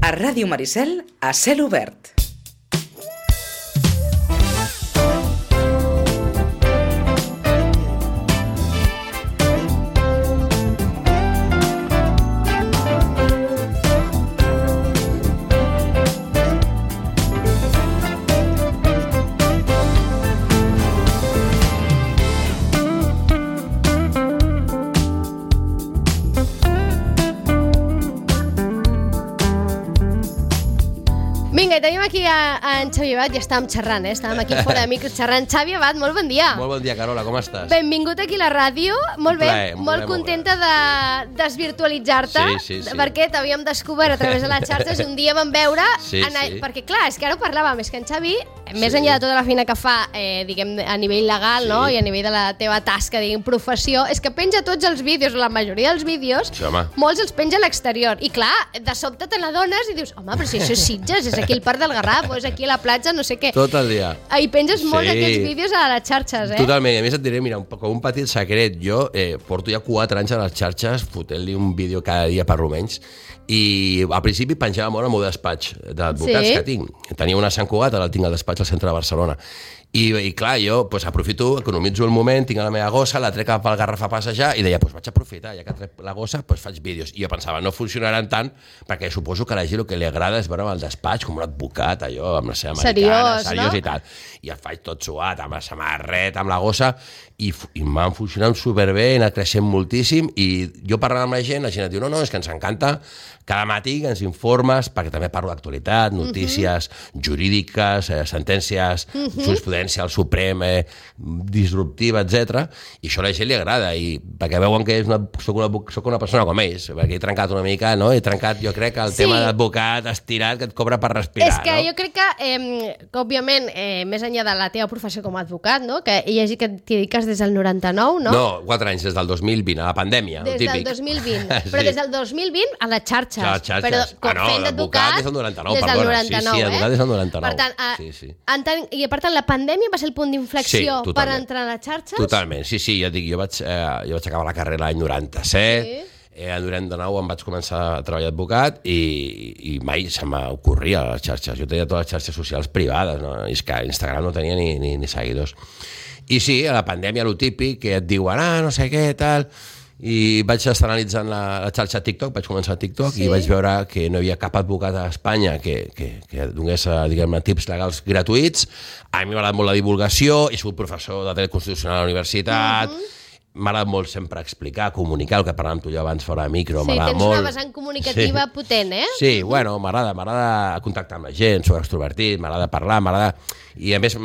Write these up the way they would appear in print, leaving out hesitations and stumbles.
A Ràdio Maricel, a cel obert. Vinga, i tenim aquí en Xavi Abad i estàvem xerrant, estàvem aquí fora de micros xerrant. Xavi Abad, molt bon dia. Molt bon dia, Carola, com estàs? Benvingut aquí a la ràdio, molt bé, molt contenta de desvirtualitzar-te, perquè t'havíem descobert a través de les xarxes i un dia vam veure, perquè clar, és que ara ho parlàvem, és que en Xavi, més enllà de tota la feina que fa, diguem, a nivell legal, no? I a nivell de la teva tasca, diguem, professió, és que penja tots els vídeos, la majoria dels vídeos, molts els penja a l'exterior, i clar, de sobte te n'adones i dius, home, però si això és Sitges, és aquí al Parc del Garraf, o és aquí a la platja, no sé què. Tot el dia. I penges molts d'aquests vídeos a les xarxes, Totalment, i a més et diré, mira, com un petit secret, jo porto ja 4 anys a les xarxes fotent-li un vídeo cada dia per almenys, i al principi penjava molt el meu despatx d'advocats que tinc. Tenia una a Sant Cugat, ara el tinc al despatx al centre de Barcelona. I clar, jo aprofito, economitzo el moment, tinc la meva gossa, la trec cap al Garraf a passejar i deia, vaig aprofitar, ja que trec la gossa, faig vídeos. I jo pensava, no funcionaran tant, perquè suposo que a la gent el que li agrada és veure el despatx com un advocat, allò, amb la seva americana, seriós i tal. I el faig tot suat, amb la samarreta, amb la gossa, i m'han funcionat superbé, he anat creixent moltíssim, i jo parlant amb la gent et diu, no, és que ens encanta, cada matí ens informes, perquè també parlo d'actualitat, notícies jurídiques, sentències, jurisprudència al Suprem, disruptiva, etc. I això a la gent li agrada, i perquè veuen que soc una persona com ells, perquè he trencat una mica, no? He trencat, jo crec, el tema d'advocat estirat que et cobra per respirar. És que jo crec que òbviament, més enllà de la teva professió com a advocat, no? Que hi hagi que t'hi dediques des del 99, no? No, 4 anys, des del 2020, a la pandèmia, el típic. Des del 2020, però des del 2020 a les xarxes. A les xarxes. Fent d'advocat des del 99, perdona. Sí, advocat des del 99. Per tant, i per tant, la pandèmia va ser el punt d'inflexió per entrar a les xarxes? Totalment, sí, ja dic, jo vaig acabar la carrera l'any 97, el 99 em vaig començar a treballar d'advocat i mai se m'ocorria a les xarxes. Jo tenia totes les xarxes socials privades, no? És que Instagram no tenia ni seguidors. I sí, a la pandèmia, lo típic, que et diuen, no sé què, tal... I vaig estar analitzant la xarxa TikTok, vaig començar a TikTok i vaig veure que no hi havia cap advocat a Espanya que donés, diguem-ne, tips legals gratuïts. A mi m'ha agradat molt la divulgació, he sigut professor de dret constitucional a la universitat, m'ha agradat molt sempre explicar, comunicar, el que parlàvem tu i jo abans fora de micro, m'agrada molt. Sí, tens una vessant comunicativa potent, Sí, bueno, m'agrada contactar amb la gent, soc extrovertit, m'agrada parlar, i a més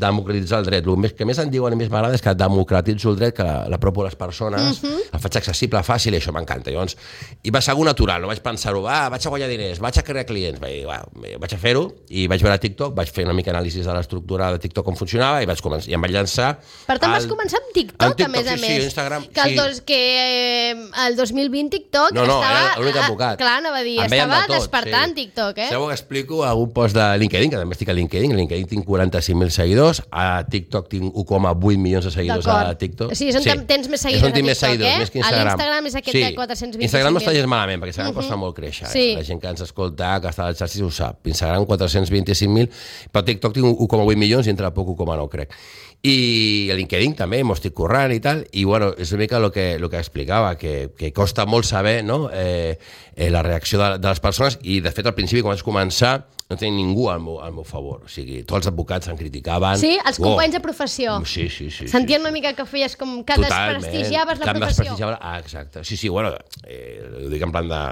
democratitzar el dret. El que més em diuen i més m'agrada és que democratitzo el dret, que l'apropo a les persones, el faig accessible, fàcil, i això m'encanta. I va ser algo natural, no vaig pensar-ho, vaig a guanyar diners, vaig a crear clients, vaig a fer-ho, i vaig veure TikTok, vaig fer una mica anàlisi de l'estructura de TikTok com funcionava, i em vaig llançar... Per tant, vas començar amb TikTok, a més a més. Sí, Instagram, que el 2020 TikTok estava... No, era l'únic advocat. Clar, anava a dir, estava despertant TikTok, Sabeu que explico algun post de LinkedIn, que també estic a LinkedIn tinc 45.000 seguidors, a TikTok tinc 1,8 milions de seguidors a TikTok. Sí, és on tens més seguidors a TikTok, més que Instagram. A l'Instagram és aquest de 425.000. Instagram no està gens malament, perquè Instagram costa molt créixer. La gent que ens escolta, que està a les xarxes ho sap. Instagram 425.000, però a TikTok tinc 1,8 milions i entre poc 1,9, crec. I a LinkedIn també m'ho estic currant i tal, i bueno, és una mica el que explicava, que costa molt saber la reacció de les persones, i de fet al principi quan vaig començar no tenia ningú al meu favor, o sigui, tots els advocats em criticaven. Sí, els companys de professió. Sí. Sentien una mica que feies com que desprestigiaves la professió. Exacte. Sí, bueno, ho dic en plan de...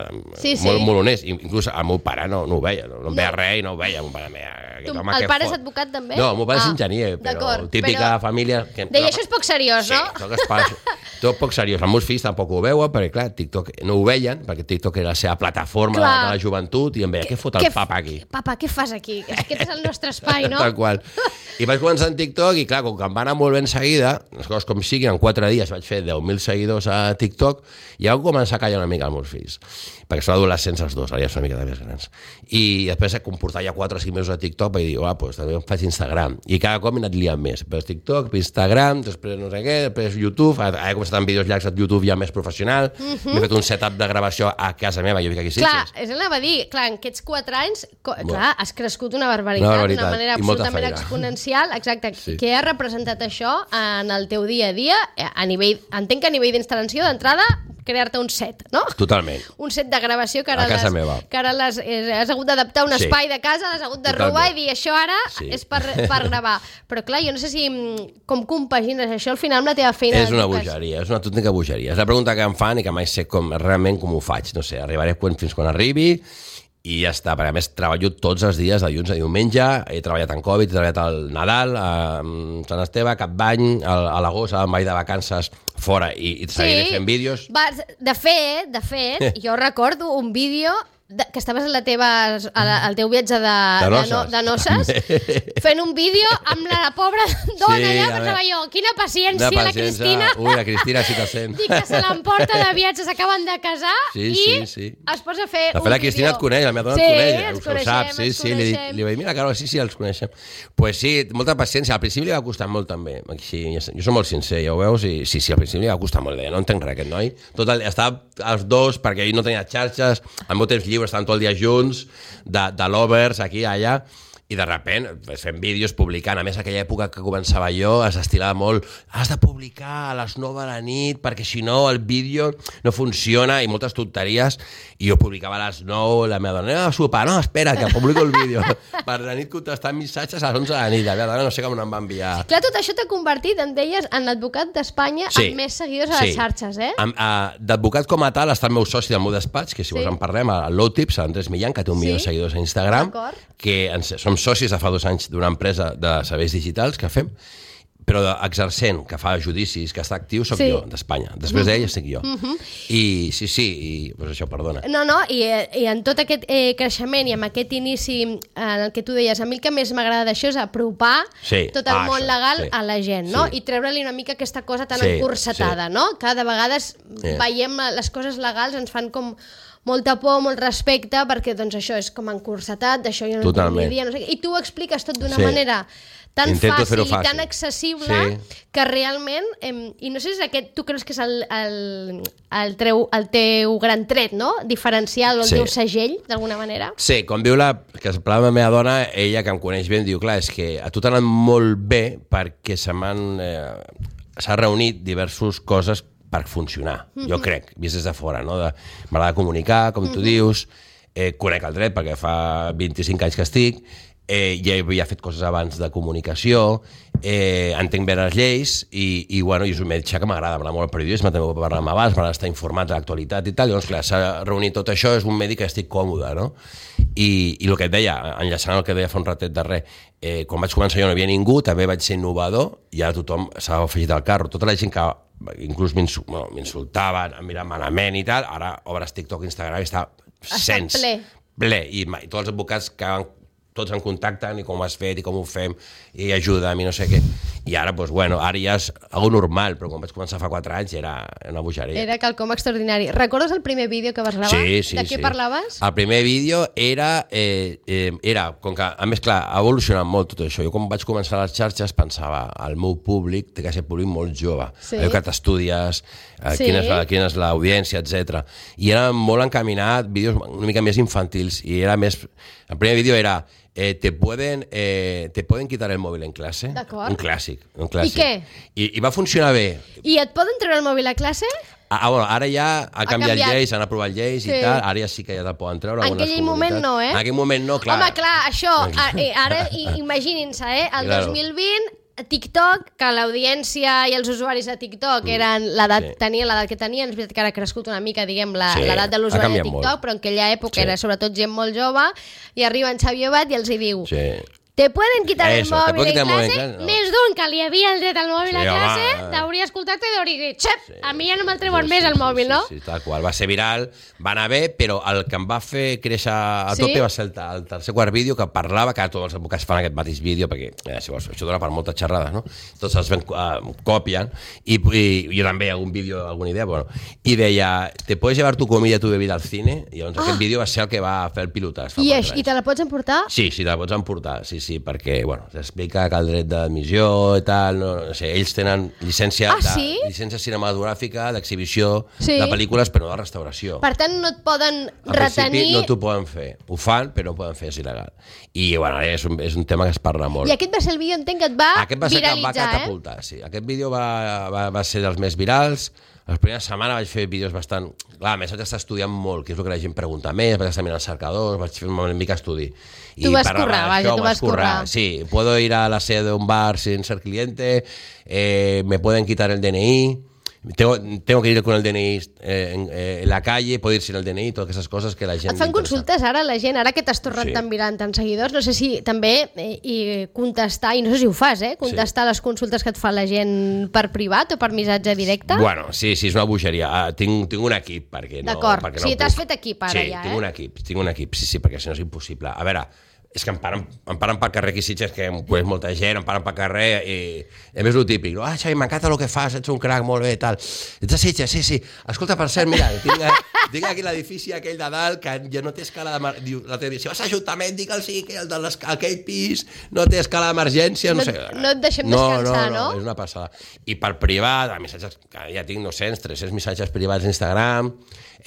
Molt honest, inclús el meu pare no ho veia, no em veia res i no ho veia. El pare és advocat també? No, el meu pare és enginyer, però típica família... Deia, això és poc seriós, no? Sí, tot poc seriós. Els meus fills tampoc ho veuen, perquè clar, TikTok no ho veien, perquè TikTok era la seva plataforma de la joventut, i em veia, què fot el papa aquí? Papa Apa, què fas aquí? Aquest és el nostre espai, no? Tal qual. I vaig començar en TikTok i, clar, com que em va anar molt ben seguida, les coses com siguin, en 4 dies vaig fer 10.000 seguidors a TikTok i vaig començar a callar una mica els meus fills, perquè són adolescents els dos, ara ja són una mica més grans. I després, com portar ja 4 o 5 mesos a TikTok, vaig dir, doncs també em faig Instagram. I cada cop m'he anat liant més. Després TikTok, Instagram, després no sé què, després YouTube, ara he començat amb vídeos llargs a YouTube ja més professional, m'he fet un setup de gravació a casa meva, jo vic aquí a Sitges. Clar, és anava a dir, clar, en aquests 4 anys, clar, has crescut una barbaritat, d'una manera absolutament exponencial. Exacte. Sí. Què ha representat això en el teu dia a dia? Entenc que a nivell d'instal·lació, d'entrada, crear-te un set, no? Totalment. Un set de gravació que ara, has hagut d'adaptar un espai de casa, l'has hagut de robar i dir això ara és per gravar. Però clar, jo no sé si com compagines això al final amb la teva feina. És una bogeria, és una autèntica bogeria. És la pregunta que em fan i que mai sé realment com ho faig. No sé, arribaré fins quan arribi i ja està, perquè a més treballo tots els dies, de dilluns a diumenge, he treballat en Covid, he treballat al Nadal, a Sant Esteve, Cap d'Any, a l'agost, al Vall de Vacances, fora, i seguiré fent vídeos. De fet, jo recordo un vídeo que estaves al teu viatge de noces fent un vídeo amb la pobra dona allà, pensava jo, quina paciència la Cristina. Ui, la Cristina sí que sent. Dic que se l'emporta de viatges, s'acaben de casar i es posa a fer un vídeo. La Cristina et coneix, la meva dona et coneix, ho sap, li vaig dir, mira, Carol, sí, els coneixem. Pues sí, molta paciència, al principi li va costar molt també, jo soc molt sincer, ja ho veus, i sí, al principi li va costar molt, no entenc res aquest noi, estava els dos, perquè ell no tenia xarxes, al meu temps lliure estaven tot el dia junts, de lovers, aquí, allà, i de repent fem vídeos publicant. A més, aquella època que començava jo s'estilava molt, has de publicar a les 9 de la nit perquè si no el vídeo no funciona i moltes tonteries, i jo publicava a les 9, la meva dona, anem a sopar, no, espera, que publico el vídeo. Per la nit contestant missatges a les 11 de la nit, la meva dona no sé com em va enviar. Clar, tot això t'ha convertit, em deies, en l'advocat d'Espanya amb més seguidors a les xarxes, eh? D'advocat com a tal està el meu soci del meu despatx, que si vols en parlem, el Low Tips, l'Andrés Millán, que té 1 milió de seguidors a Instagram, que som socis de fa 2 anys d'una empresa de serveis digitals que fem, però exercent, que fa judicis, que està actiu, soc jo, d'Espanya. Després d'ell estic jo. I sí, doncs això, perdona. No, i en tot aquest creixement i amb aquest inici en el que tu deies, a mi el que més m'agrada d'això és apropar tot el món legal a la gent, no? I treure-li una mica aquesta cosa tan encursetada, no? Cada vegada veiem les coses legals, ens fan com molta por, molt respecte, perquè doncs això és com encursetat, d'això jo no tinc ni idea, no sé què. I tu ho expliques tot d'una manera tan fàcil i tan accessible que realment, i no sé si aquest tu creus que és el teu gran tret, no? Diferencial o el teu segell, d'alguna manera? Sí, com diu que es parla amb la meva dona, ella que em coneix bé, em diu, clar, és que a tu t'ha anat molt bé perquè s'ha reunit diverses coses per funcionar, jo crec, vist des de fora, no? M'agrada comunicar, com tu dius, conec el dret perquè fa 25 anys que estic, ja havia fet coses abans de comunicació, entenc bé les lleis i és un metge que m'agrada molt el periodisme, també puc parlar amb abans, m'agrada estar informat de l'actualitat i tal, llavors clar, s'ha reunit tot això, és un mèdic que estic còmode, no? I el que et deia, enllaçant el que deia fa un ratet de res, quan vaig començar jo no hi havia ningú, també vaig ser innovador i ara tothom s'ha afegit al carro, tota la gent que inclús m'insultaven, em miraven malament i tal, ara obres TikTok, Instagram i està ple, i tots els advocats que tots en contacten i com ho has fet i com ho fem i ajuda'm i no sé què. I ara, doncs, ara ja és algo normal, però quan vaig començar fa 4 anys era una bogeria. Era quelcom extraordinari. Recordes el primer vídeo que vas gravar? Sí. De què parlaves? El primer vídeo era, com que, a més, clar, ha evolucionat molt tot això. Jo quan vaig començar a les xarxes pensava, el meu públic té que ser públic molt jove. Allò que t'estudies, quina és l'audiència, etc. I era molt encaminat, vídeos una mica més infantils, i era més... El primer vídeo era ¿te pueden quitar el móvil en clase? D'acord. Un clàssic. I què? I va funcionar bé. I et poden treure el mòbil a classe? Ara ja ha canviat lleis, han aprovat lleis i tal, ara ja sí que ja te'l poden treure. En aquell moment no, En aquell moment no, clar. Home, clar, això, ara imaginin-se, el 2020... TikTok, que l'audiència i els usuaris de TikTok tenien l'edat que tenien, és veritat que ara ha crescut una mica, diguem, l'edat de l'usuari de TikTok, però en aquella època era sobretot gent molt jove, i arriba en Xavi Abad i els hi diu te pueden quitar el mòbil en classe, més d'un que li havia el dret al mòbil a classe, t'hauria escoltat i t'hauria dit, xep, a mi ja no me'l treuen més el mòbil, no? Sí, tal qual, va ser viral, va anar bé, però el que em va fer créixer a tope va ser el tercer quart vídeo que parlava, que tots els advocats fan aquest mateix vídeo, perquè si vols, això dona per moltes xerrades, no? Tots els copien, i jo també algun vídeo, alguna idea, bueno, i deia, te puedes llevar tu comida, tu bebida al cine, i llavors aquest vídeo va ser el que va fer el pilotàs. I te la pots emportar? Sí, te la pots emportar, sí, perquè, bueno, s'explica que el dret d'admissió i tal, no sé, ells tenen llicència cinematogràfica, d'exhibició de pel·lícules, però no de restauració. Per tant, no et poden retenir... Al principi no t'ho poden fer. Ho fan, però no ho poden fer, és il·legal. I, bueno, és un tema que es parla molt. I aquest va ser el vídeo, entenc que et va viralitzar, Aquest va ser que em va catapultar, sí. Aquest vídeo va ser dels més virals. La primera setmana vaig fer vídeos bastant... Clar, a més vaig estar estudiant molt, que és el que la gent pregunta més, vaig estar mirant cercadors, vaig fer una mica estudi. Tu vas currar. Sí, puedo ir a la sede de un bar sin ser cliente, me pueden quitar el DNI, tengo que ir con el DNI en la calle, puedo ir sin el DNI, totes aquestes coses que la gent... Et fan consultes ara la gent, ara que t'has tornat tan viral tants seguidors, no sé si també contestar, i no sé si ho fas, contestar les consultes que et fa la gent per privat o per missatge directe? Bueno, sí, és una bogeria. Tinc un equip, perquè no... D'acord, o sigui, t'has fet equip ara ja, tinc un equip, sí, perquè si no és impossible. A veure, és que em paren pel carrer aquí Sitges, que és molta gent, em paren pel carrer i a més el típic, no? Xavi, m'encanta el que fas, ets un crac, molt bé, tal. Ets de Sitges, sí. Escolta, per cert, mira, tinc aquí l'edifici aquell de dalt que ja no té escala d'emergència. Si vas a l'Ajuntament, digue-el sí, que aquell pis no té escala d'emergència, no sé. No et deixem descansar, no? No, és una passada. I per privat, missatges, ja tinc 200, 300 missatges privats a Instagram,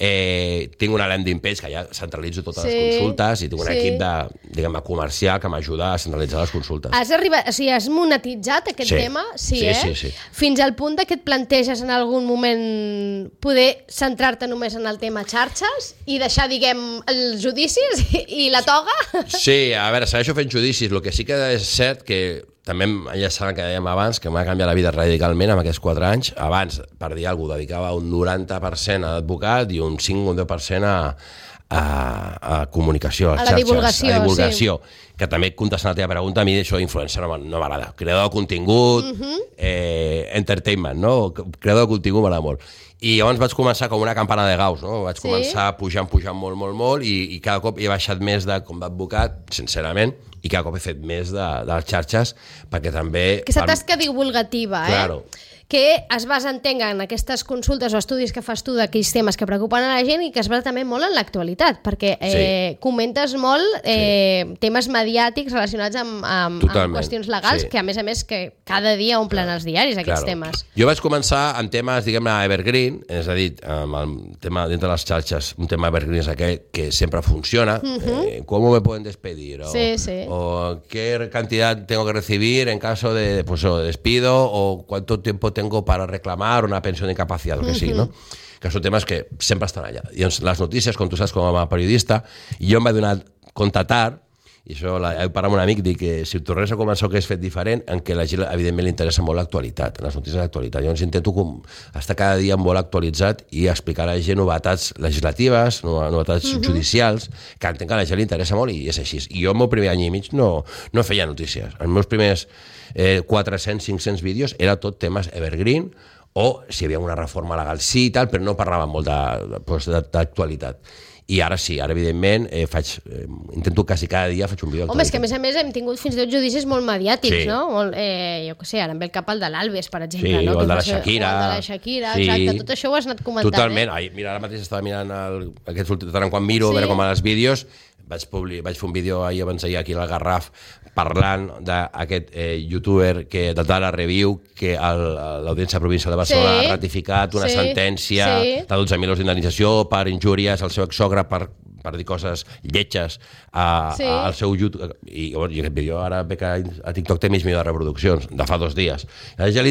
tinc una landing page que ja centralitzo totes les consultes i tinc un equip de, diguem, comercial que m'ajuda a centralitzar les consultes. Has monetitzat aquest tema? Sí. Fins al punt que et planteges en algun moment poder centrar-te només en el tema xarxes i deixar, diguem, els judicis i la toga? Sí, a veure, segueixo fent judicis. El que sí que és cert que també ja saben que dèiem abans que m'ha canviat la vida radicalment en aquests 4 anys. Abans, per dir alguna cosa, dedicava un 90% a advocat i un 5 o un 10% a comunicació, a les xarxes, a divulgació, que també contestant a la teva pregunta, a mi això d'influencer no m'agrada. Creador de contingut, entertainment, no? Creador de contingut m'agrada molt. I llavors vaig començar com una campana de Gauss, no? Vaig començar pujant molt, i cada cop he baixat més com d'advocat, sincerament, i cada cop he fet més de les xarxes, perquè també... Aquesta tasca divulgativa, Claro. Que es basa, entenc, en aquestes consultes o estudis que fas tu d'aquells temes que preocupen a la gent i que es basa també molt en l'actualitat, perquè comentes molt temes mediàtics relacionats amb qüestions legals, que a més que cada dia omplen els diaris aquests temes. Jo vaig començar en temes, diguem-ne, evergreen, és a dir, amb el tema dintre de les xarxes, un tema evergreen és aquell que sempre funciona, com me pueden despedir, o qué cantidad tengo que recibir en caso de despido, o cuánto tiempo tengo para reclamar una pensió d'incapacitat, o que sigui, no? Que són temes que sempre estan allà. I doncs les notícies, com tu saps com a periodista, jo em vaig donar compte tard, i això he parlat amb un amic, dic que si tornés a començar el que és fet diferent, en què la gent evidentment li interessa molt l'actualitat, les notícies d'actualitat. Llavors intento estar cada dia molt actualitzat i explicar a la gent novetats legislatives, novetats judicials, que entenc que a la gent li interessa molt i és així. I jo el meu primer any i mig no feia notícies. Els meus primers 400-500 vídeos era tot temes evergreen, o si hi havia una reforma legal sí i tal, però no parlava molt d'actualitat. I ara sí, ara evidentment intento quasi cada dia faig un vídeo d'actualitat. Home, és que a més hem tingut fins i tot judicis molt mediàtics, no? Jo què sé, ara em ve el cap el de l'Alves, per exemple. Sí, o el de la Shakira. Exacte, tot això ho has anat comentant. Totalment, mira, ara mateix estava mirant aquests últims, tant quan miro, a veure com els vídeos, vaig fer un vídeo abans d'ahir aquí al Garraf parlant d'aquest youtuber de Data Review que l'Audiència Provincial de Barcelona ha ratificat una sentència de 12.000 euros d'indemnització per injúries al seu exsogre per dir coses lletges al seu YouTube. I aquest vídeo ara ve que a TikTok té mig milió de reproduccions de fa 2 dies. A la gent li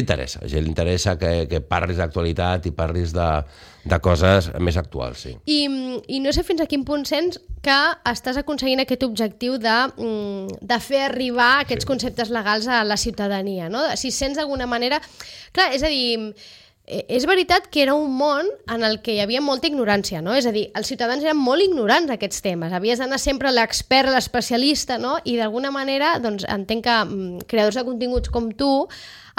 interessa que parlis d'actualitat i parlis de coses més actuals, sí. I no sé fins a quin punt sents que estàs aconseguint aquest objectiu de fer arribar aquests conceptes legals a la ciutadania, no? Si sents d'alguna manera... Clar, és a dir, és veritat que era un món en el que hi havia molta ignorància, no? És a dir, els ciutadans eren molt ignorants d'aquests temes. Havies d'anar sempre a l'expert, a l'especialista, no? I d'alguna manera, doncs, entenc que creadors de continguts com tu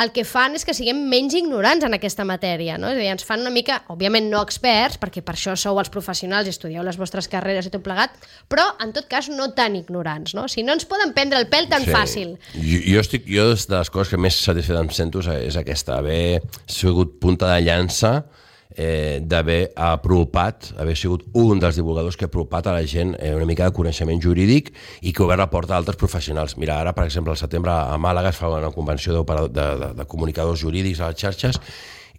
el que fan és que siguem menys ignorants en aquesta matèria, no? És a dir, ens fan una mica, òbviament no experts, perquè per això sou els professionals i estudieu les vostres carreres i tot plegat, però en tot cas no tan ignorants, no? Si no ens poden prendre el pèl tan fàcil. Jo de les coses que més satisfet em sento és aquesta, haver sigut punta de llança, d'haver apropat, haver sigut un dels divulgadors que ha apropat a la gent una mica de coneixement jurídic i que ha obert la porta a altres professionals. Mira, ara, per exemple, al setembre a Màlaga es fa una convenció de comunicadors jurídics a les xarxes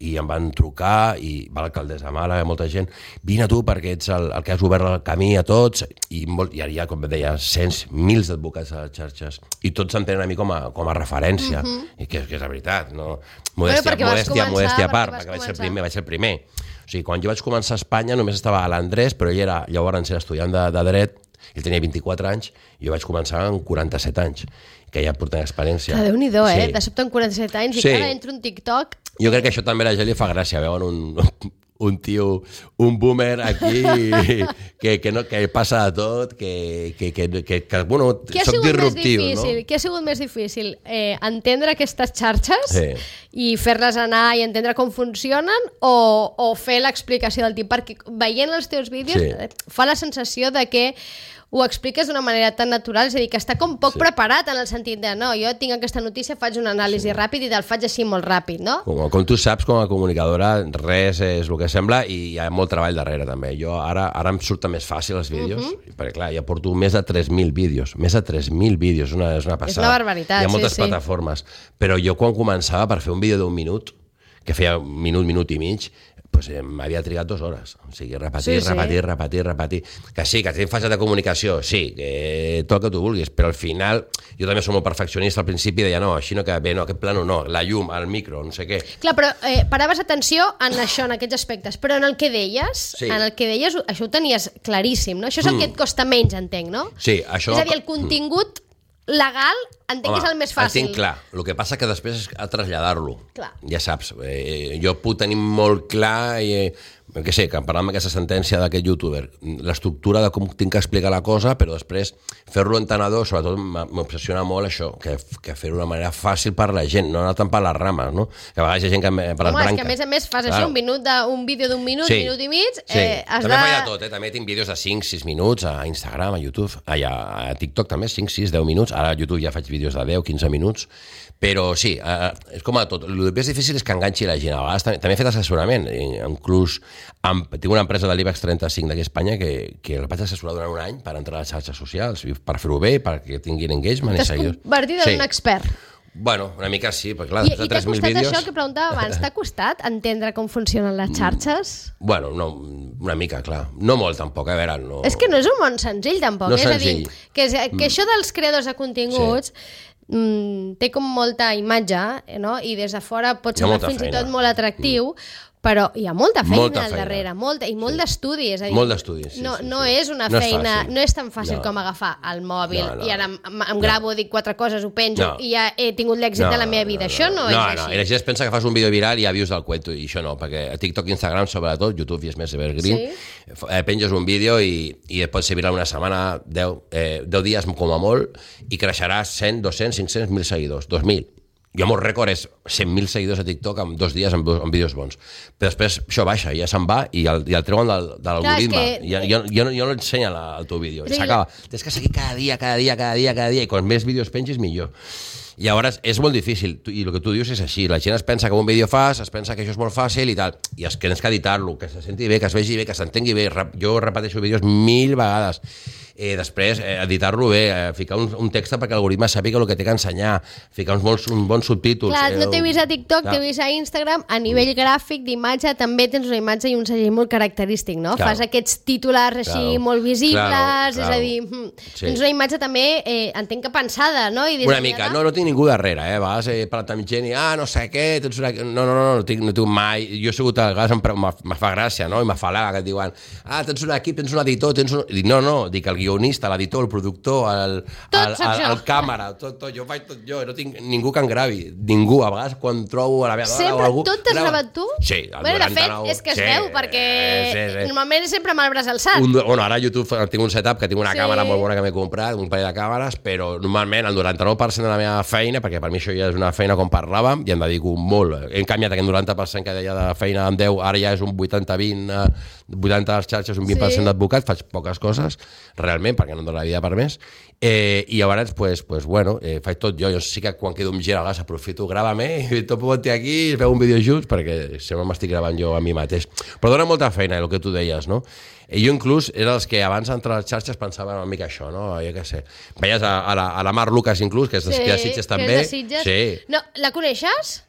i em van trucar, i va l'alcaldessa de Màlaga, molta gent, vine tu perquè ets el que has obert el camí a tots, i ara hi ha, com deia, mils d'advocats a les xarxes, i tots s'entenen a mi com a referència, i que és la veritat, no? Modèstia a part, perquè vaig ser el primer. O sigui, quan jo vaig començar a Espanya només estava a l'Andrés, però ell era, llavors era estudiant de dret, ell tenia 24 anys, i jo vaig començar amb 47 anys, que ja porten experiència. Que Déu-n'hi-do, de sobte amb 47 anys, i cada entro un TikTok... Jo crec que això també a la gent li fa gràcia, veuen un tio, un boomer aquí que passa de tot, que bueno, soc disruptiu, no? Què ha sigut més difícil? Entendre aquestes xarxes i fer-les anar i entendre com funcionen o fer l'explicació del tip? Perquè veient els teus vídeos fa la sensació de que ho expliques d'una manera tan natural, és a dir, que està com poc preparat en el sentit de, no, jo tinc aquesta notícia, faig una anàlisi ràpid i te'l faig així molt ràpid, no? Com tu saps, com a comunicadora, res és el que sembla i hi ha molt treball darrere, també. Jo ara em surten més fàcil els vídeos, perquè clar, ja porto més de 3.000 vídeos, és una passada. És una barbaritat, hi ha moltes plataformes, però jo quan començava per fer un vídeo d'1 minut, que feia minut i mig, doncs m'havia trigat 2 hores. O sigui, repetir. Que sí, que tenim fase de comunicació, sí, que tot el que tu vulguis, però al final, jo també soc molt perfeccionista al principi, deia, no, així no queda bé, no, aquest plano no, la llum, el micro, no sé què. Clar, però paraves atenció en això, en aquests aspectes, però en el que deies, això ho tenies claríssim, no? Això és el que et costa menys, entenc, no? Sí, això... És a dir, el contingut legal entenc que és el més fàcil. Entenc clar, el que passa que després és a traslladar-lo. Clar. Ja saps, jo puc tenir molt clar, que parlant amb aquesta sentència d'aquest youtuber, l'estructura de com tinc que explicar la cosa, però després fer-lo entenedor, sobretot m'obsessiona molt això, que fer-ho d'una manera fàcil per la gent, no anar tant per les rames, no? Que a vegades hi ha gent que per les branques. És que a més fas això, un vídeo d'1 minut, minut i mig, també faig de tot, també tinc vídeos de 5-6 minuts a Instagram, a YouTube, a TikTok també, 5-6-10 minuts, ara a YouTube ja faig vídeos de 10-15 minuts, però sí, és com a tot. El més difícil és que enganxi la gent. A vegades també he fet assessorament, inclús tinc una empresa de l'IBEX 35 d'aquí a Espanya que la vaig assessorar durant un any per entrar a les xarxes socials, per fer-ho bé, perquè tinguin engagement i seguidors. T'has convertit en un expert. Bueno, una mica sí, perquè clar, I t'ha costat això que preguntava abans, t'ha costat entendre com funcionen les xarxes? Bueno, no, una mica, clar. No molt, tampoc, a veure, no... És que no és un món senzill, tampoc. No és senzill. Que això dels creadors de continguts té com molta imatge, no? I des de fora pot ser fins i tot molt atractiu, però hi ha molta feina al darrere, i molt d'estudi. Molt d'estudi, sí. No és una feina, no és tan fàcil com agafar el mòbil i ara em gravo, dic 4 coses, ho penjo i ja he tingut l'èxit de la meva vida. Això no és així. No, i la gent es pensa que fas un vídeo viral i ja vius del cuento, i això no, perquè a TikTok, Instagram, sobretot, YouTube i és més evergreen, penges un vídeo i et pot ser viral una setmana, 10 dies com a molt, i creixeràs 100, 200, 500, 1.000 seguidors, 2.000. Jo, el meu rècord és 100.000 seguidors a TikTok en 2 dies amb vídeos bons. Però després això baixa, ja se'n va i el treuen de l'algoritme. Jo no ensenya el teu vídeo. S'acaba. Tens que seguir cada dia, i quan més vídeos pengis, millor. I llavors és molt difícil, i el que tu dius és així, la gent es pensa que un vídeo es pensa que això és molt fàcil i tal, i és que tens que editar-lo, que se senti bé, que es vegi bé, que s'entengui bé. Jo repeteixo vídeos 1000 vegades. Després, editar-lo bé, ficar un text perquè l'algoritme sàpiga el que té que ensenyar, ficar uns bons subtítols. Clar, no t'he vist a TikTok, t'he vist a Instagram, a nivell gràfic d'imatge també tens una imatge i un segell molt característic, no? Fas aquests titulars així molt visibles, és a dir, tens una imatge també, entenc que pensada, no? Una mica, no tinc ningú darrere, a vegades he parlat amb gent i no sé què, no tinc mai, jo he sigut, a vegades me fa gràcia, no? I m'afalaga que et diuen, tens un equip, tens un editor, dic, no, dic, el guionista, l'editor, el productor, el càmera, tot, jo faig tot jo, no tinc ningú que em gravi, ningú, a vegades quan trobo a la meva dona o algú... Sempre tot t'has gravat tu? Sí, el 99. De fet, és que es veu, perquè normalment sempre amb el braç alçat. Bueno, ara a YouTube tinc un setup, que tinc una càmera molt bona que m'he comprat, un parell de càmeres, però normalment el 99% de la meva feina, perquè per mi això ja és una feina com parlàvem, i em dedico molt. Hem canviat aquest 90% que deia de feina amb 10, ara ja és un 80-20, 80 a les xarxes, un 20% d'advocat, faig poques coses, realment, perquè no em dóna la vida per més, i llavors, bueno, faig tot jo sí que quan quedo amb gent, a vegades aprofito, grava-me, i tot pot dir aquí, es veu un vídeo junts, perquè sempre m'estic gravant jo a mi mateix. Però dona molta feina, el que tu deies, no? I jo inclús era els que abans d'entrar a les xarxes pensava una mica això, no? Jo què sé. Veies a la Mar Lucas inclús, que és de Sitges també. Sí. No, la coneixes?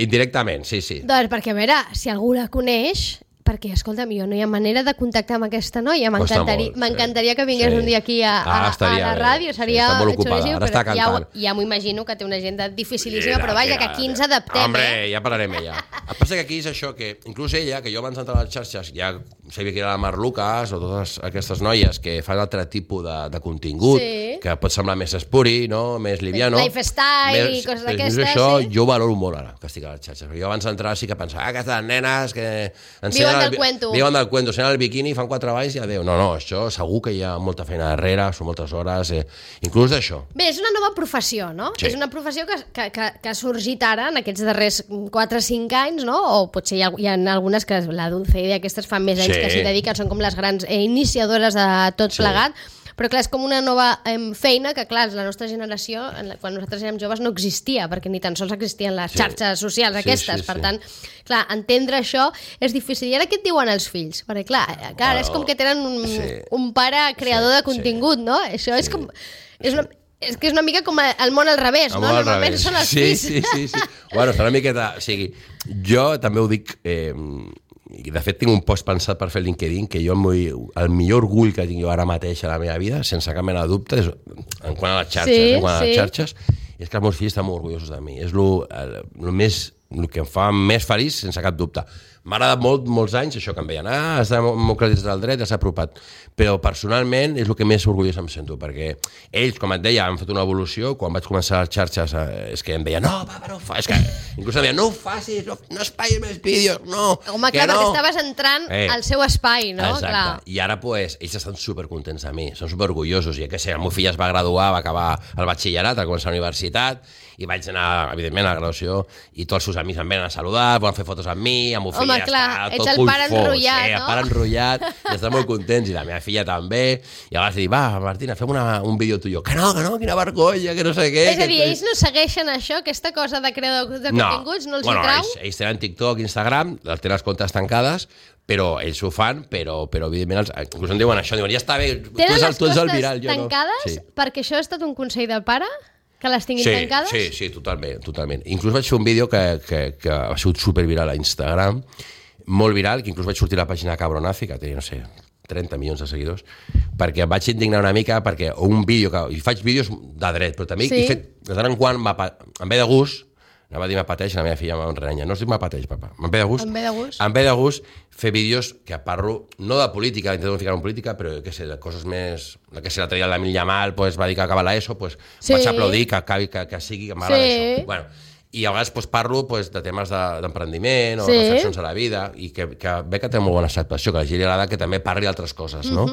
Indirectament, sí. Doncs perquè, a veure, si algú la coneix... Perquè, escolta'm, jo no hi ha manera de contactar amb aquesta noia. M'encantaria que vingués un dia aquí a la ràdio. Seria xuríssim, però ja m'ho imagino que té una agenda dificilíssima, però vaja, que aquí ens adaptem. Hombre, ja parlarem amb ella. El que passa que aquí és això, que inclús ella, que jo abans d'entrar a les xarxes, ja sabia que era la Mar Lucas o totes aquestes noies que fan altre tipus de contingut, que pot semblar més espuri, no? Més liviano. Lifestyle i coses d'aquestes. Això jo valoro molt ara, que estic a les xarxes. Jo abans d'entrar sí que pensava, aquestes nenes que... Viuen del cuento, sent el biquini, fan 4 balls i adéu. No, això segur que hi ha molta feina darrere, són moltes hores, inclús d'això. Bé, és una nova professió, no? Sí. És una professió que ha sorgit ara en aquests darrers 4 o 5 anys, no? O potser hi ha algunes que la Dulce i aquestes fan més anys que s'hi dediquen, són com les grans iniciadores de tot plegat. Però clar, és com una nova feina que, clar, la nostra generació, quan nosaltres érem joves, no existia, perquè ni tan sols existien les xarxes socials aquestes. Per tant, clar, entendre això és difícil. I ara què et diuen els fills? Perquè, clar, és com que tenen un pare creador de contingut, no? Això és com... És que és una mica com el món al revés, no? Normalment són els fills. Sí. Bueno, és una miqueta... O sigui, jo també ho dic... I de fet tinc un post pensat per fer el LinkedIn que jo el millor orgull que tinc jo ara mateix a la meva vida, sense cap mena de dubte, és en quant a les xarxes, és que els meus fills estan molt orgullosos de mi. És el que em fa més feliç, sense cap dubte. M'ha agradat molts anys això que em veien, has democratitzat el dret, has apropat, però personalment és el que més orgullós em sento, perquè ells, com et deia, han fet una evolució. Quan vaig començar a les xarxes és que em deien, no, papa, no ho facis, inclús em deien, no ho facis, no espais més vídeos, no. Home, clar, perquè estaves entrant al seu espai, no? Exacte, clar. I ara ells estan supercontents de mi, són superorgullosos, i el meu fill es va graduar, va acabar el batxillerat, va començar la universitat, i vaig anar, evidentment, a la graduació, i tots els seus amics em venen a saludar, volen fer fotos amb mi, amb el fill ja clar, està tot el pare enrotllat, no? El pare enrotllat, i estan molt contents, i la meva filla també, i a vegades dic, va, Martina, fem un vídeo tu i jo, que no, quina vergonya, que no sé què. És a dir, ells no segueixen això, aquesta cosa de creador de continguts, no els hi trau? Ells tenen TikTok, Instagram, tenen les comptes tancades, però ells ho fan, però evidentment, inclús em diuen això, diuen, ja està bé, tu ets el viral, jo no. Tenen les comptes tancades perquè això ha estat un consell del pare? Que les tinguin tancades? Sí, totalment. Inclús vaig fer un vídeo que ha sigut superviral a Instagram, molt viral, que inclús vaig sortir a la pàgina de Cabronazi, que té, no sé, 30 milions de seguidors, perquè em vaig indignar una mica, perquè un vídeo, i faig vídeos de dret, però també he fet, de tant en quant, em ve de gust, anava a dir m'apateix, la meva filla m'enrenya. No es diu m'apateix, papa. Em ve de gust fer vídeos que parlo, no de política, intento ficar en política, però que sé, de coses més... Que sé, l'altre dia l'Emil Yamal va dir que acaba l'ESO, vaig aplaudir que sigui, que m'agrada això. Bueno, i a vegades parlo de temes d'emprendiment o reflexions a la vida, i que ve que té molt bona acceptació, que a la gent li agrada que també parli d'altres coses, no?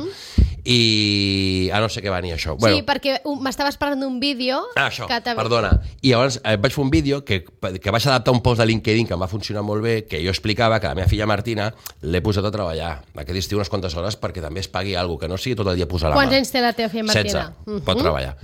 I no sé què va venir això. Sí, perquè m'estaves parlant d'un vídeo... Això, perdona. I llavors vaig fer un vídeo que vaig adaptar un post de LinkedIn que em va funcionar molt bé, que jo explicava que la meva filla Martina l'he posat a treballar aquest estiu unes quantes hores perquè també es pagui alguna cosa, que no sigui tot el dia posar la mà. Quants anys té la teva filla Martina? 16. Pot treballar.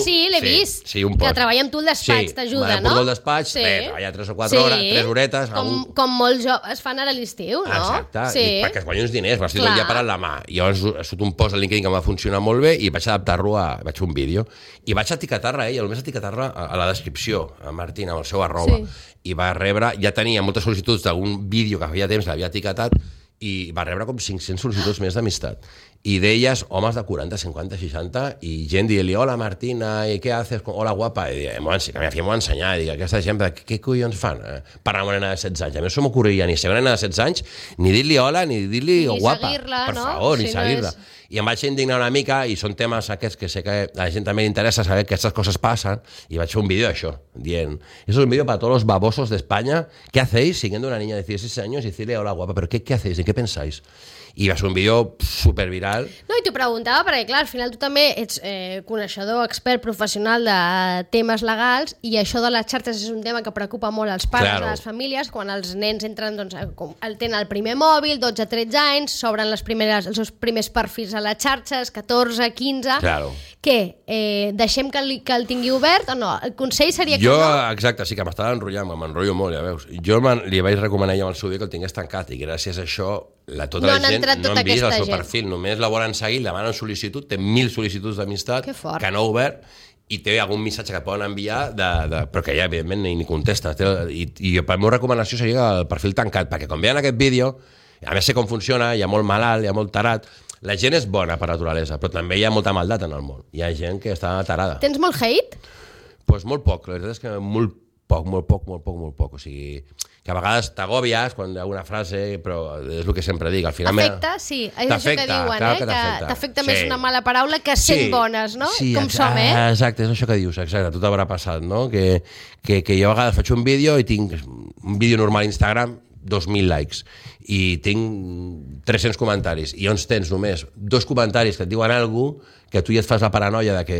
Sí, l'he vist. Que treballa amb tu al despatx, t'ajuda, no? Sí, al despatx, treballa 3 o 4 hores, 3 horetes... Com molts joves fan ara a l'estiu, no? Exacte, perquè es guanyi uns diners, m'estic tot el dia parant la mà. I llavors ha sigut un post al LinkedIn que em va funcionar molt bé i vaig adaptar-lo vaig fer un vídeo. I vaig etiquetar-la, només etiquetar-la a la descripció, a Martina, amb el seu arroba. I va rebre, ja tenia moltes sol·licituds d'algun vídeo que feia temps l'havia etiquetat, i va rebre com 500 sol·licituds més d'amistat. i d'elles, homes de 40, 50, 60, i gent dient-li, hola Martina, i què haces? Hola guapa, i que mi hacía m'ho ensenyar, i aquesta gent, què collons fan? Parlar amb una nena de 16 anys. A mi no se m'ocorreria ni ser una nena de 16 anys, ni dir-li hola, ni dir-li guapa. Per favor, ni seguir-la. I em vaig indignar una mica, i són temes aquests que sé que a la gent també li interessa saber que aquestes coses passen, i vaig fer un vídeo d'això, dient, eso es un vídeo para todos los babosos de España, ¿qué hacéis siguiendo a una niña de 16 años y decirle hola guapa? ¿Pero qué hacéis? ¿En qué pensáis? I va ser un vídeo superviral. No, i t'ho preguntava perquè, clar, al final tu també ets coneixedor, expert, professional de temes legals, i això de les xarxes és un tema que preocupa molt als pares, a les famílies, quan els nens entren, doncs, tenen el primer mòbil, 12-13 anys, s'obren els seus primers perfils a les xarxes, 14, 15... Claro. Què? Deixem que el tingui obert o no? El consell seria que no? Exacte, sí que m'estava enrotllant, m'enrotllo molt, ja veus. Jo li vaig recomanar ja amb el seu dia que el tingués tancat, i gràcies a això tota la gent no han vist el seu perfil, només la volen seguir, demanen sol·licitud, té 1.000 sol·licituds d'amistat que no ha obert, i té algun missatge que poden enviar, però que ja, evidentment, ni contesta. I la meva recomanació seria el perfil tancat, perquè quan veuen aquest vídeo, a més sé com funciona, hi ha molt malalt, hi ha molt tarat, la gent és bona per naturalesa, però també hi ha molta maldat en el món. Hi ha gent que està tarada. Tens molt hate? Doncs molt poc, la veritat és que molt poc. O sigui, que a vegades t'agòbies quan hi ha una frase, però és el que sempre dic. Al final t'afecta, sí, és això que diuen, que t'afecta més una mala paraula que 100 bones, no? Com som, Exacte, és això que dius, exacte, tot haurà passat, no? Que jo a vegades faig un vídeo i tinc un vídeo normal a Instagram, 2.000 likes, i tinc 300 comentaris, i llavors tens només 2 comentaris que et diuen alguna cosa que tu ja et fas la paranoia de que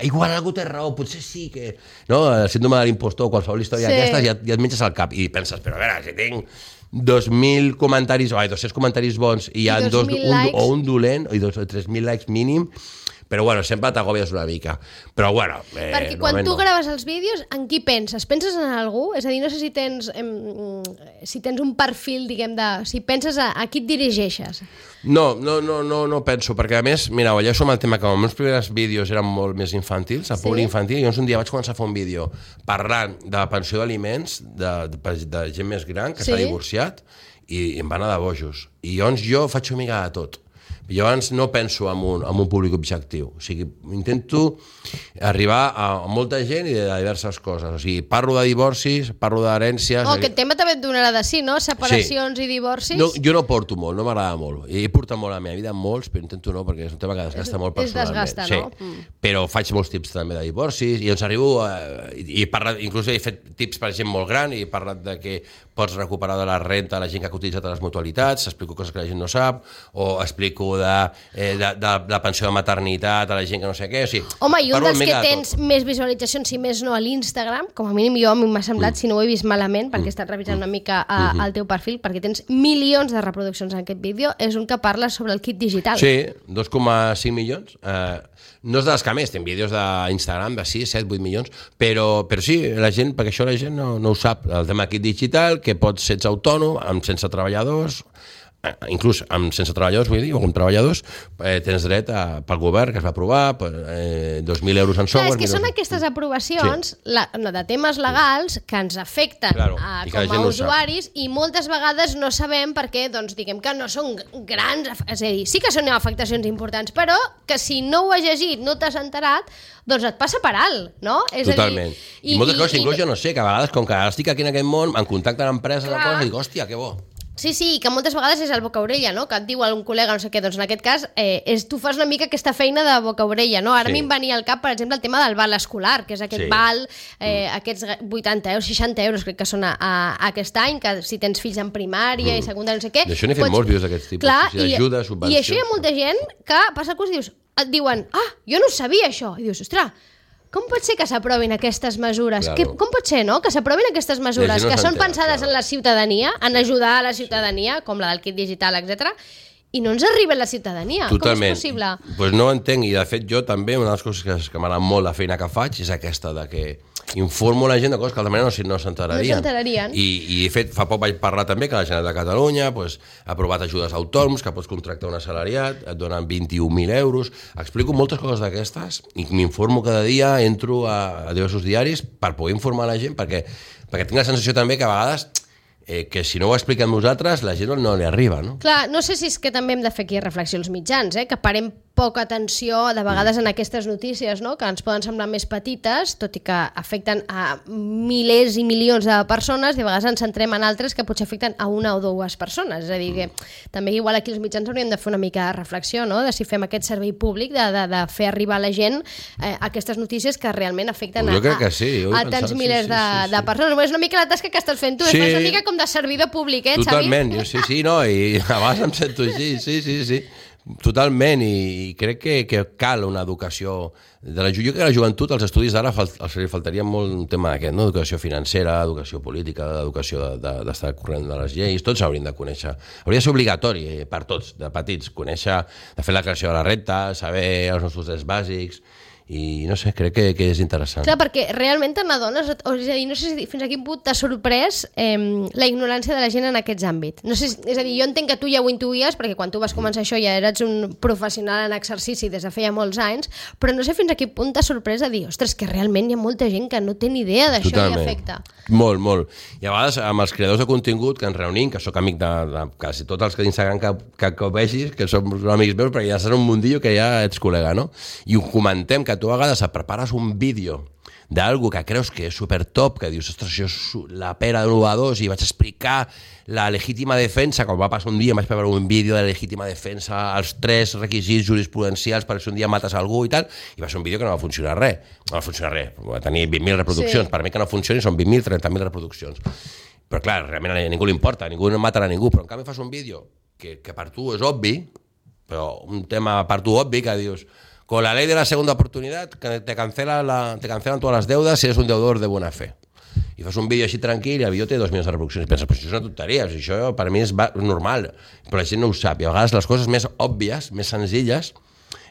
igual algú té raó, potser sí que... No? El síndrome de l'impostor, qualsevol història d'aquestes, ja et menges al cap i penses, però a veure, si tinc 2.000 comentaris, 200 comentaris bons i hi ha un dolent, o 3.000 likes mínim, però bueno, sempre t'agòbies una mica. Però bueno... Perquè quan tu graves els vídeos, en qui penses? Penses en algú? És a dir, no sé si tens un perfil, diguem, si penses a qui et dirigeixes. No penso, perquè a més, mira, ja som el tema que els meus primers vídeos eren molt més infantils, a públic infantil, i llavors un dia vaig començar a fer un vídeo parlant de pensió d'aliments de gent més gran que s'ha divorciat, i em va anar de bojos. I llavors jo faig una mica de tot. Jo abans no penso en un públic objectiu, o sigui, intento arribar a molta gent i de diverses coses, o sigui, parlo de divorcis, parlo d'herències... Aquest tema també et donarà de sí, no? Separacions i divorcis... No, jo no porto molt, no m'agrada molt, he portat molt a la meva vida, molts, però intento no, perquè és un tema que desgasta molt personalment. És desgasta, no? Però faig molts tips també de divorcis, i llavors arribo, inclús he fet tips per gent molt gran, i he parlat de que pots recuperar de la renta la gent que ha utilitzat les mutualitats, explico coses que la gent no sap, o explico de pensió de maternitat a la gent que no sé què, o sigui... Home, i un dels que tens més visualitzacions, si més no, a l'Instagram, com a mínim a mi m'ha semblat, si no ho he vist malament, perquè he estat revisant una mica el teu perfil, perquè tens milions de reproduccions en aquest vídeo, és un que parla sobre el kit digital. Sí, 2,5 milions. No és dels que més, tinc vídeos d'Instagram de 6, 7, 8 milions, però sí, la gent, perquè això la gent no ho sap, el tema kit digital, que pots ser autònom, sense treballadors, inclús sense treballadors, vull dir, o amb treballadors, tens dret pel govern, que es va aprovar, 2.000 euros en software... És que són aquestes aprovacions de temes legals que ens afecten com a usuaris, i moltes vegades no sabem perquè, doncs, diguem que no són grans, és a dir, sí que són afectacions importants, però que si no ho has llegit, no t'has enterat, doncs et passa per alt, no? Totalment. I moltes coses, inclús jo no sé, que a vegades, com que estic aquí en aquest món, em contacten empreses, i dic, hòstia, que bo. Sí, que moltes vegades és el boca-orella, no? Que et diu algun col·lega, no sé què, doncs en aquest cas tu fas una mica aquesta feina de boca-orella, no? Ara a mi em venia al cap, per exemple, el tema del val escolar, que és aquest val, aquests 80 euros, 60 euros crec que són aquest any, que si tens fills en primària i secundària, no sé què... D'això n'he fet molts vídeos d'aquests tipus, d'ajuda, subvencions... I això hi ha molta gent que passa el curs i et diuen, jo no sabia això, i dius, ostres, com pot ser que s'aprovin aquestes mesures? Com pot ser, no?, que s'aprovin aquestes mesures que són pensades en la ciutadania, en ajudar a la ciutadania, com la del kit digital, etc., i no ens arriba a la ciutadania. Totalment. Com és possible? Doncs no ho entenc, i de fet jo també, una de les coses que m'agrada molt la feina que faig és aquesta, de que informo la gent de coses que altra manera no s'enterarien. I de fet, fa poc vaig parlar també que la Generalitat de Catalunya ha aprovat ajudes a autònoms, que pots contractar un assalariat, et donen 21.000 euros. Explico moltes coses d'aquestes i m'informo cada dia, entro a diversos diaris per poder informar la gent, perquè tinc la sensació també que a vegades que si no ho expliquem nosaltres, la gent no li arriba, no? Clar, no sé si és que també hem de fer aquí reflexió als mitjans, que parem poca atenció de vegades en aquestes notícies, no? Que ens poden semblar més petites, tot i que afecten a milers i milions de persones, i a vegades ens centrem en altres que potser afecten a una o dues persones. És a dir, que també igual aquí els mitjans hauríem de fer una mica de reflexió, no? De si fem aquest servei públic de fer arribar a la gent aquestes notícies que realment afecten a tants milers de persones. És una mica la tasca que estàs fent tu, és una mica com de servidor públic, Xavi? Totalment, sí, no, i a vegades em sento així, sí. Totalment, i crec que cal una educació jo crec que a la joventut, als estudis d'ara els faltaria molt un tema d'aquest, no? Educació financera, educació política, educació d'estar corrent de les lleis, tots s'haurien de conèixer, hauria de ser obligatori per tots, de petits, conèixer, de fer la creació de la renta, saber els nostres drets bàsics, i no sé, crec que és interessant. Clar, perquè realment te n'adones, és a dir, no sé si fins a quin punt t'ha sorprès la ignorància de la gent en aquests àmbits. No sé, és a dir, jo entenc que tu ja ho intuïes, perquè quan tu vas començar això ja eres un professional en exercici des de feia molts anys, però no sé fins a quin punt t'ha sorprès a dir, ostres, que realment hi ha molta gent que no té ni idea d'això i afecta. Molt. I a vegades amb els creadors de contingut que ens reunim, que sóc amic de quasi tots els que d'Instagram que vegis, que som amics meus, perquè ja saps un mundillo que ja ets col·lega, no? I ho comentem, que tu a vegades et prepares un vídeo d'algú que creus que és supertop, que dius, ostres, això és la pera de l'1-2, i vaig explicar la legítima defensa, com va passar un dia, vaig preparar un vídeo de legítima defensa, els 3 requisits jurisprudencials per si un dia mates algú i tal, i va ser un vídeo que no va funcionar res. No va funcionar res, va tenir 20.000 reproduccions. Sí. Per mi que no funcioni són 20.000, 30.000 reproduccions. Però clar, realment a ningú li importa, ningú no matarà a ningú, però en canvi fas un vídeo que per tu és obvi, però un tema per tu obvi, que dius, con la ley de la segunda oportunidad te cancelan todas las deudas si eres un deudor de buena fe. I fas un vídeo així tranquil i el vídeo té 2 milions de reproduccions. I penses, però això és una tonteria, això per mi és normal, però la gent no ho sap. I a vegades les coses més òbvies, més senzilles,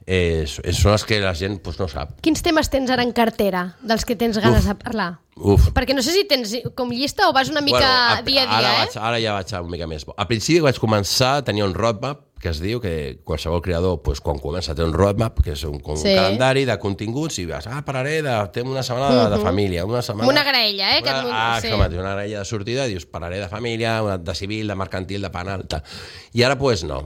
són les que la gent no sap. Quins temes tens ara en cartera, dels que tens ganes de parlar? Perquè no sé si tens com llista o vas una mica dia a dia, Ara ja vaig una mica més. Al principi vaig començar a tenir un roadmap, que es diu que qualsevol creador, quan comença a tenir un roadmap, que és un calendari de continguts, i vas, parlaré de una setmana de família, una setmana... Una graella, una graella de sortida, dius, parlaré de família, de civil, de mercantil, de penal, tal. I ara, no.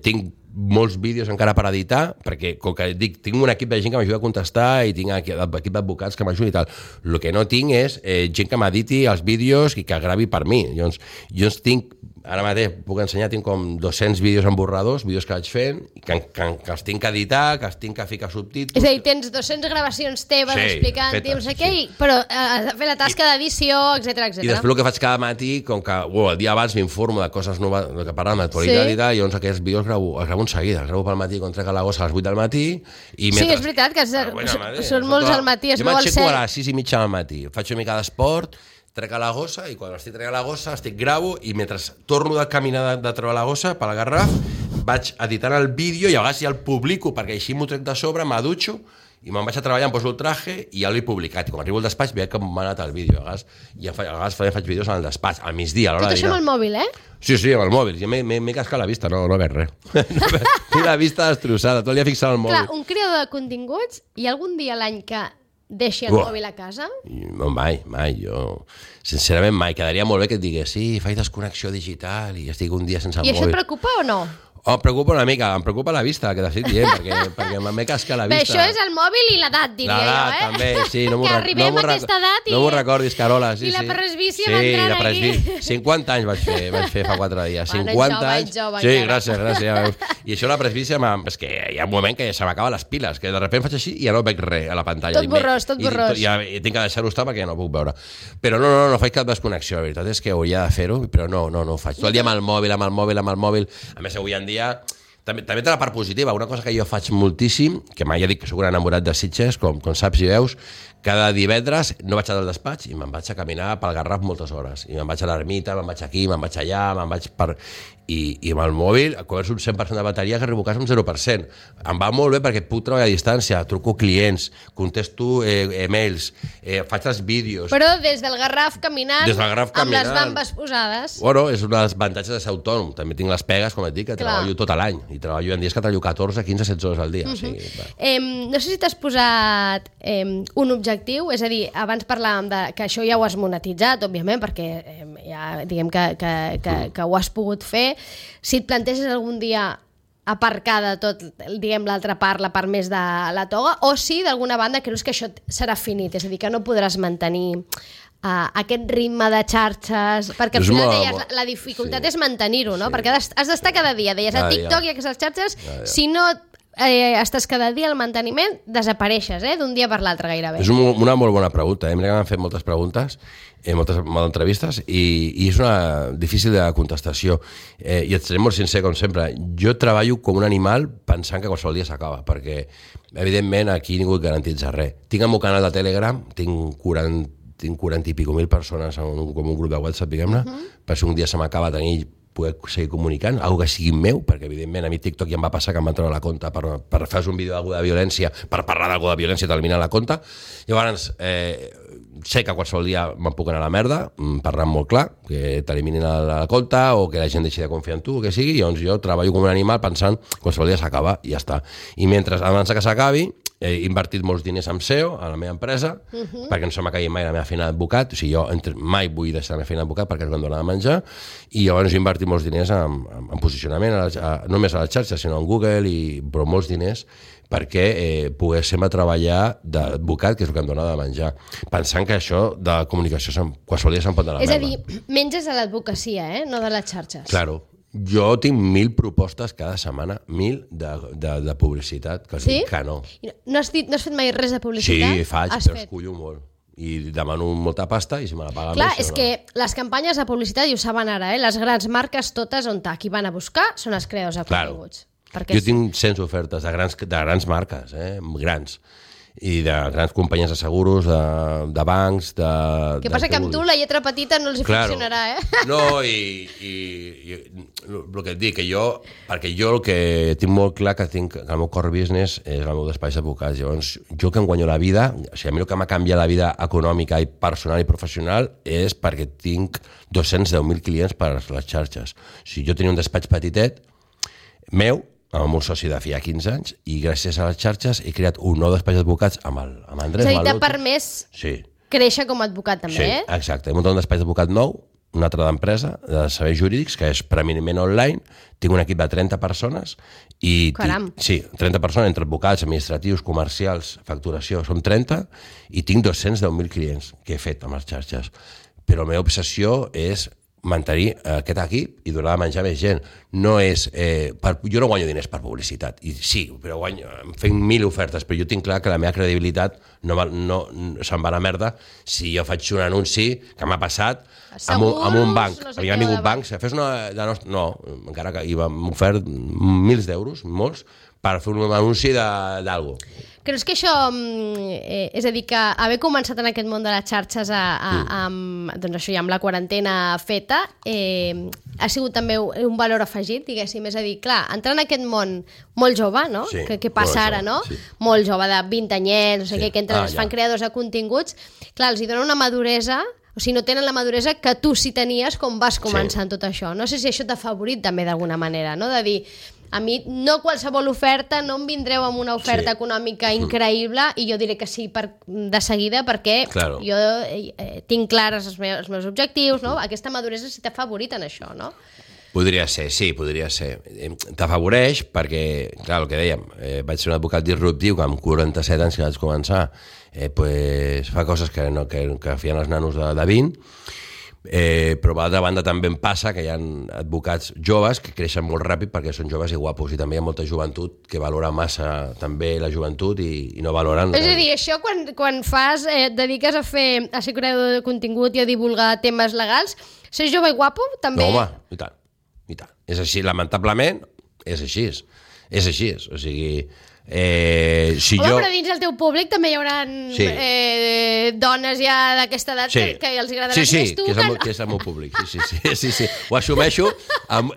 Tinc molts vídeos encara per editar, perquè, com que dic, tinc un equip de gent que m'ajuda a contestar i tinc equip d'advocats que m'ajuda i tal. El que no tinc és gent que m'editi els vídeos i que gravi per mi. Llavors, jo tinc, ara mateix puc ensenyar, tinc com 200 vídeos en borradors, vídeos que vaig fent, que els tinc que editar, que els tinc que ficar subtítols... És a dir, tens 200 gravacions teves explicant, però has de fer la tasca d'edició, etc. I després el que faig cada matí, com que el dia abans m'informo de coses noves, que parlen d'actualitat i tal, i llavors aquests vídeos els gravo en seguida. Els gravo pel matí quan trec a la gossa a les 8 del matí. Sí, és veritat, que són molts al matí. Jo m'aixeco a les 6:30 del matí, faig una mica d'esport, trec a la gossa, i quan estic traient a la gossa gravo, i mentre torno de caminar de treure la gossa per la Garraf, vaig editant el vídeo i a vegades ja el publico perquè així m'ho trec de sobre, m'adutxo i me'n vaig a treballar, em poso el traje i ja l'he publicat. I quan arribo al despatx veig que m'ha anat el vídeo. A vegades faig vídeos al despatx, al migdia, a l'hora de dinar. Tot això amb el mòbil, Sí, amb el mòbil. Jo m'he cascat la vista, no veig res. Tinc la vista destrossada, tot el dia fixat al mòbil. Clar, un creador de continguts, hi ha algun dia a l'any que deixi el mòbil a casa? No, mai, jo... Sincerament, mai. Quedaria molt bé que et digués, sí, faig desconnexió digital i estic un dia sense el mòbil. I això et preocupa o no? Em preocupa una mica, em preocupa la vista, que t'estic dient, perquè m'he cascat la vista. Bé, això és el mòbil i l'edat, diria jo, L'edat, també, sí. Que arribem a aquesta edat No m'ho recordis, Carola. I la presbícia va entrar aquí. 50 anys vaig fer fa 4 dies. 50 anys. Sí, gràcies. I això la presbícia, és que hi ha un moment que se m'acaben les piles, que de sobte faig així i ja no veig res a la pantalla. Tot borrós. I tinc que deixar-ho estar perquè ja no puc veure. Però no faig cap desconnexió, la veritat és que hauria de fer-ho, però no ho faig. Tot el dia amb el mòbil. A més, avui en dia... També té la part positiva, una cosa que jo faig moltíssim, que mai ja dic que soc un enamorat de Sitges, com saps i veus, cada divendres no vaig al despatx i me'n vaig a caminar pel Garraf moltes hores. I me'n vaig a l'ermita, me'n vaig aquí, me'n vaig allà, me'n vaig per... I amb el mòbil, quan és un 100% de bateria, que arribo a casa un 0%. Em va molt bé perquè puc treballar a distància, truco clients, contesto emails, faig els vídeos... Però des del Garraf caminant, amb les bambes posades... Bueno, és un dels avantatges de ser autònom. També tinc les pegues, com et dic, que treballo tot l'any. I treballo en dies que treballo 14, 15, 16 hores al dia. O sigui, no sé si t'has posat un objectiu, és a dir, abans parlàvem que això ja ho has monetitzat, òbviament, perquè ja diguem que ho has pogut fer. Si et planteges algun dia aparcar de tot, diguem, l'altra part, la part més de la toga, o si d'alguna banda creus que això serà finit, és a dir, que no podràs mantenir aquest ritme de xarxes, perquè al final deies, la dificultat és mantenir-ho, no? Perquè has d'estar cada dia, deies, a TikTok i a aquestes xarxes, si no estàs cada dia al manteniment, desapareixes, d'un dia per l'altre gairebé. És una molt bona pregunta, mira que m'han fet moltes preguntes, moltes entrevistes, i és una difícil de contestació, i et seré molt sincer com sempre. Jo treballo com un animal pensant que qualsevol dia s'acaba, perquè evidentment aquí ningú et garantitza res. Tinc el meu canal de Telegram, tinc 40 i pico mil persones com un grup de WhatsApp, diguem-ne, per si un dia se m'acaba poder seguir comunicant, algo que sigui meu, perquè evidentment a mi TikTok ja em va passar que em van treure la compte per fer un vídeo d'algú de violència, per parlar d'algú de violència, t'eliminen la compte. Llavors, sé que qualsevol dia me'n puc anar a la merda, parlant molt clar, que t'eliminin la compte o que la gent deixi de confiar en tu, o que sigui, llavors jo treballo com un animal pensant que qualsevol dia s'acaba i ja està. I mentre, abans que s'acabi, he invertit molts diners en SEO, a la meva empresa, perquè no se m'acabi mai la meva feina d'advocat, o sigui, jo mai vull deixar la meva feina d'advocat perquè és quan dona de menjar, i llavors he invertit molts diners en posicionament, no només a les xarxes, sinó en Google, però molts diners perquè poguéssim treballar d'advocat, que és el que em dona de menjar, pensant que això de comunicació qualsevol dia se'n pot anar a la merda. És a dir, menges a l'advocacia, no de les xarxes. Claro. Jo tinc 1.000 propostes cada setmana, 1.000 de publicitat, que sí? Que no. No has fet mai res de publicitat? Sí, faig, però escullo molt. I demano molta pasta i si me la paga clar, més... Clar, és que les campanyes de publicitat, i ho saben ara, les grans marques totes on qui van a buscar són els creadors de continguts. Jo tinc 100 ofertes de grans marques, grans, i de grans companyies de seguros, de bancs, de... Què passa que amb tu la lletra petita no els funcionarà, No, i el que et dic, perquè jo el que tinc molt clar que el meu core business és el meu despatx d'advocats. Llavors, jo que em guanyo la vida, o sigui, a mi el que m'ha canviat la vida econòmica i personal i professional és perquè tinc 210.000 clients per les xarxes. O sigui, jo tenia un despatx petitet, meu, amb el meu soci de feia 15 anys, i gràcies a les xarxes he creat un nou despatx d'advocats amb Andrés Maluto. És a dir, t'ha permès créixer com a advocat també, Sí, exacte. He muntat un despatx d'advocat nou, una altra d'empresa, de serveis jurídics, que és preeminentment online. Tinc un equip de 30 persones. Caram! Sí, 30 persones, entre advocats, administratius, comercials, facturació, som 30, i tinc 210.000 clients que he fet amb les xarxes. Però la meva obsessió és mantenir aquest equip i donar de menjar més gent. No és... jo no guanyo diners per publicitat. I sí, però fent 1.000 ofertes, però jo tinc clar que la meva credibilitat no se'n va a la merda si jo faig un anunci que m'ha passat amb un banc. Havia vingut bancs, fes una... No, encara que m'ha ofert milers d'euros, molts, per fer un anunci d'algú. Creus que això, és a dir, que haver començat en aquest món de les xarxes doncs això ja amb la quarantena feta, ha sigut també un valor afegit, diguéssim, és a dir, clar, entrar en aquest món molt jove, no? Sí, que passa ara, no? Sí. Molt jove, de 20 anyets, no sé què, que entren, es fan creadors de continguts, clar, els hi dona una maduresa, o sigui, no tenen la maduresa que tu sí tenies quan vas començar en tot això. No sé si això t'ha favorit també d'alguna manera, no? De dir, a mi no qualsevol oferta, no em vindreu amb una oferta econòmica increïble i jo diré que sí de seguida perquè jo tinc clares els meus objectius, no? Aquesta maduresa sí t'ha favorit en això, no? Podria ser, sí, podria ser. T'afavoreix perquè, clar, el que dèiem, vaig ser un advocat disruptiu que amb 47 anys que vaig començar fa coses que feien els nanos de 20, però per l'altra banda també em passa que hi ha advocats joves que creixen molt ràpid perquè són joves i guapos, i també hi ha molta joventut que valora massa també la joventut i no valoren... És a dir, això quan et dediques a ser creador de contingut i a divulgar temes legals, ser jove i guapo també... No, home, i tant. És així, lamentablement, és així. O sigui... però dins el teu públic també hi haurà dones ja d'aquesta edat que els agradarà més tu. Que és el meu públic. Sí. Ho assumeixo,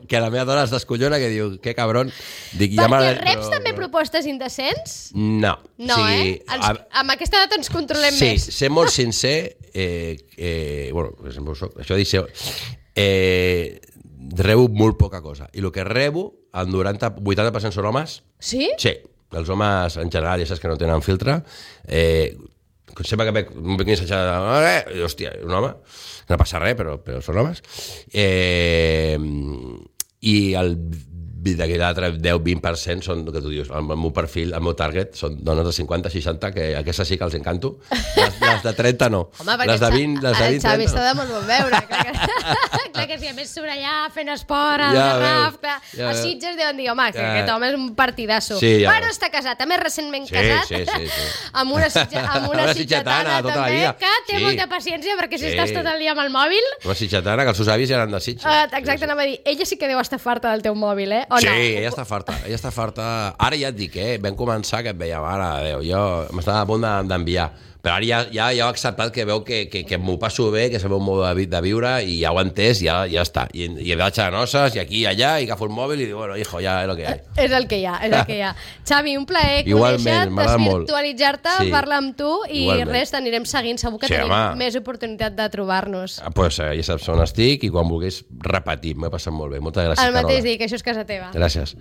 que la meva dona es descollona, que diu, que cabron. Perquè reps també propostes indecents? No. No, amb aquesta edat ens controlem més. Sí, ser molt sincer, bueno, per exemple, això dic, rebo molt poca cosa. I el que rebo, el 80% són homes. Sí? Sí. Els homes, en general, ja saps que no tenen filtre. Sempre que veig un missatge hòstia, un home, no passa res, però són homes. I l'altre 10-20% són el que tu dius, el meu perfil, el meu target són dones de 50-60, que aquestes sí que els encanto. Les de 30 no. Home, les de 20, les de 20, 30 no. El Xavi està de molt bon veure. Clar que sí, a més sobre allà fent esport, el Garraf, els Sitges deuen dir, home, que aquest home és un partidasso. Però està casat, a més recentment casat, amb una sitgetana també, que té molta paciència, perquè si estàs tot el dia amb el mòbil... Una sitgetana, que els seus avis ja eren de Sitges. Exacte, anava a dir, ella sí que deu estar farta del teu mòbil, eh? Sí, ella està farta. Ara ja et dic, vam començar que et veia, mare de Déu, jo m'estava a punt d'enviar. Però ara ja he acceptat que veu que m'ho passo bé, que és el meu mode de viure, i ja ho he entès, ja està. I vaig a noces, i aquí i allà, i agafo el mòbil i dic, bueno, hijo, ja és el que hi ha. És el que hi ha. Xavi, un plaer conèixer-te, desvirtualitzar-te, parlar amb tu, i res, t'anirem seguint. Segur que tenim més oportunitat de trobar-nos. Doncs ja saps on estic, i quan vulguis repetir. M'he passat molt bé. Moltes gràcies, Carola. El mateix dic, això és casa teva. Gràcies.